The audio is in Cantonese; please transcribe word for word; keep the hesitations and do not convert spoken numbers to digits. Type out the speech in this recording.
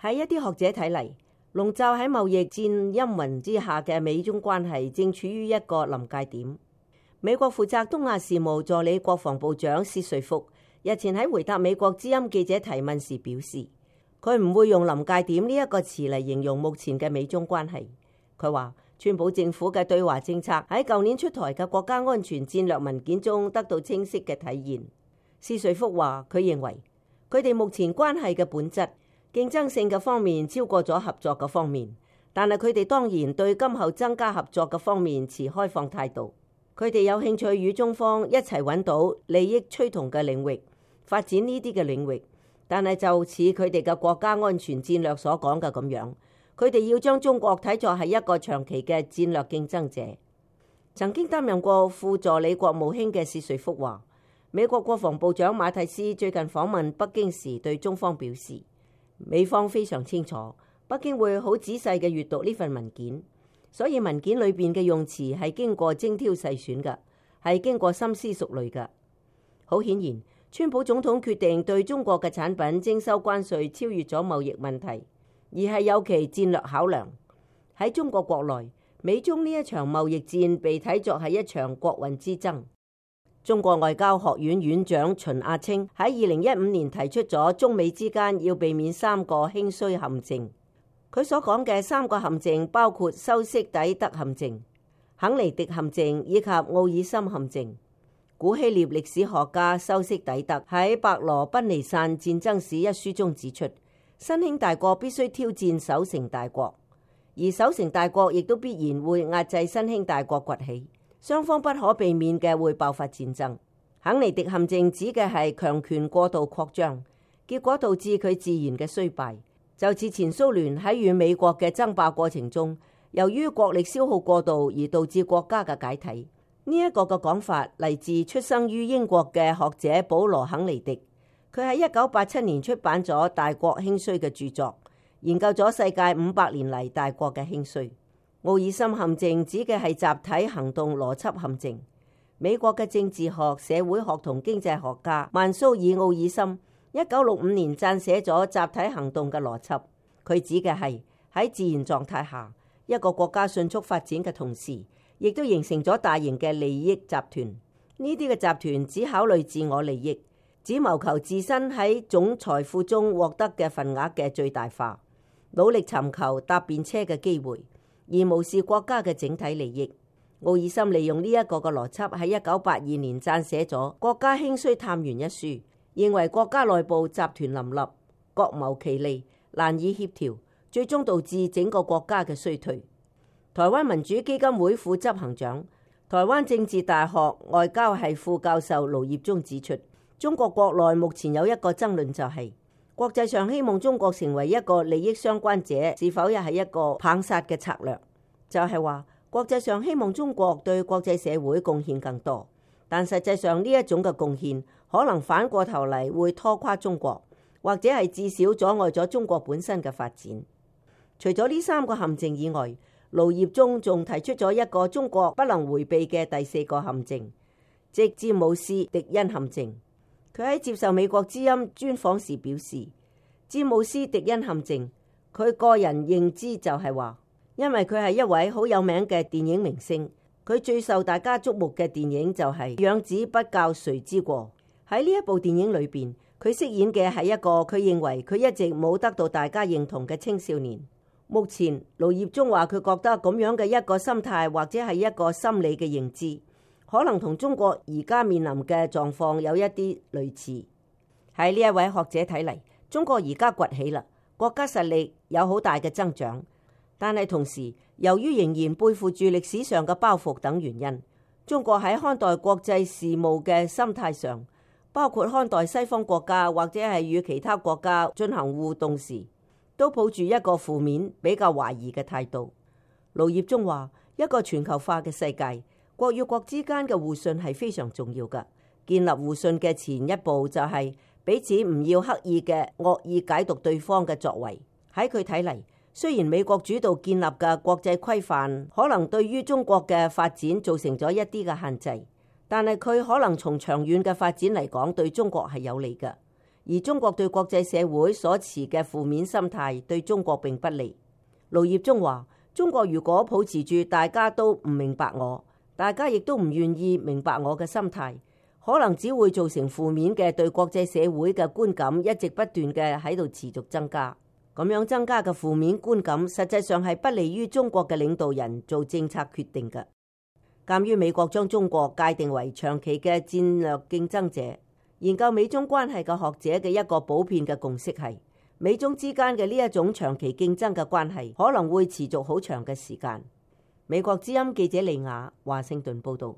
喺一啲學者睇嚟，籠罩喺貿易戰陰雲之下嘅美中關係正處於一個臨界點。美國負責東亞事務助理國防部長薛瑞福日前喺回答美國之音記者提問時表示，佢唔會用臨界點呢一個詞嚟形容目前嘅美中關係。佢話，川普政府嘅對華政策喺舊年出台嘅國家安全戰略文件中得到清晰嘅體現。薛瑞福話，佢認為佢哋目前關係嘅本質競爭性嘅方面超過咗合作嘅方面，但係佢哋當然對今後增加合作嘅方面持開放態度。佢哋有興趣與中方一齊揾到利益趨同嘅領域，發展呢啲嘅領域。但係就似佢哋嘅國家安全戰略所講嘅咁樣，佢哋要將中國睇作係一個長期嘅戰略競爭者。曾經擔任過副助理國務卿嘅薛瑞福話，美國國防部長馬蒂斯最近訪問北京時對中方表示，美方非常清楚北京會好仔細嘅閱讀呢份文件。所以文件裏邊嘅用詞係經過精挑細選嘅，係經過深思熟慮嘅。好顯然，川普總統決定對中國嘅產品徵收關稅，超越咗貿易問題，而係有其戰略考量。喺中國國內，美中呢一場貿易戰被睇作係一場國運之爭。中國外交學院院長秦亞青喺二零一五年提出咗中美之間要避免三個興衰陷阱。佢所講嘅三個陷阱包括修昔底德陷阱、肯尼迪陷阱以及奧爾森陷阱。古希臘歷史學家修昔底德喺《伯羅奔尼撒戰爭史》一書中指出，新興大國必須挑戰守成大國，而守成大國亦都必然會壓制新興大國崛起，雙方不可避免嘅會爆發戰爭。肯尼迪陷阱指嘅係強權過度擴張，結果導致佢自然嘅衰敗。就似前蘇聯喺與美國嘅爭霸過程中，由於國力消耗過度而導致國家嘅解體。呢、這、一個嘅講法嚟自出生於英國嘅學者保羅肯尼迪，佢喺一九八七年出版咗《大國興衰》嘅著作，研究咗世界五百年嚟大國嘅興衰。奧爾森陷阱指嘅係集體行動邏輯陷阱。美國嘅政治學、社會學同經濟學家曼蘇爾奧爾森一九六五年撰寫咗集體行動嘅邏輯，佢指嘅係喺自然狀態下，一個國家迅速發展嘅同時，亦都形成咗大型嘅利益集團。呢啲嘅集團只考慮自我利益，只謀求自身喺總財富中獲得嘅份額嘅最大化，努力尋求搭便車嘅機會，而無視國家嘅整體利益。奧爾森利用呢一個嘅邏輯喺一九八二年撰寫咗《國家興衰探源》一書。認為國家內部集團林立，各謀其利，難以協調，最終導致整個國家嘅衰退。台灣民主基金會副執行長、台灣政治大學外交系副教授盧業忠指出，中國國內目前有一個爭論，就係國際上希望中國成為一個利益相關者，是否又係一個棒殺嘅策略？就係話國際上希望中國對國際社會貢獻更多，但實際上呢一種嘅貢獻可能反過頭嚟會拖垮中國，或者係至少阻礙咗中國本身嘅發展。除咗呢三個陷阱以外，盧業忠仲提出咗一個中國不能迴避嘅第四個陷阱，即詹姆斯迪恩陷阱。佢喺接受美國之音專訪時表示，詹姆斯迪恩陷阱，佢個人認知就係話，因為佢係一位好有名嘅電影明星，佢最受大家矚目嘅電影就係《養子不教誰之過》。喺呢一部電影裏邊，佢飾演嘅係一個佢認為佢一直冇得到大家認同嘅青少年。目前盧業忠話，佢覺得咁樣嘅一個心態或者係一個心理嘅認知，可能同中國而家面臨嘅狀況有一啲類似。喺呢一位學者睇嚟，中國而家崛起啦，國家實力有好大嘅增長，但係同時由於仍然背負住歷史上嘅包袱等原因，中國喺看待國際事務嘅心態上，包括看待西方國家或者係與其他國家進行互動時，都抱住一個負面、比較懷疑嘅態度。盧業忠話，一個全球化嘅世界，國與國之間嘅互信係非常重要㗎。建立互信嘅前一步就係彼此唔要刻意嘅惡意解讀對方嘅作為。喺佢睇嚟，雖然美國主導建立嘅國際規範可能對於中國嘅發展造成咗一啲嘅限制，但係佢可能從長遠嘅發展嚟講對中國係有利嘅。而中國對國際社會所持嘅負面心態對中國並不利。盧業中話：中國如果抱持住大家都唔明白我，大家亦都唔願意明白我嘅心態，可能只會造成負面嘅對國際社會嘅觀感一直不斷嘅喺度持續增加。咁樣增加嘅負面觀感，實際上係不利於中國嘅領導人做政策決定嘅。鑑於美國將中國界定為長期嘅戰略競爭者，研究美中關係嘅學者嘅一個普遍嘅共識係，美中之間嘅呢一種長期競爭嘅關係可能會持續好長嘅時間。美國之音記者利亞華盛頓報道。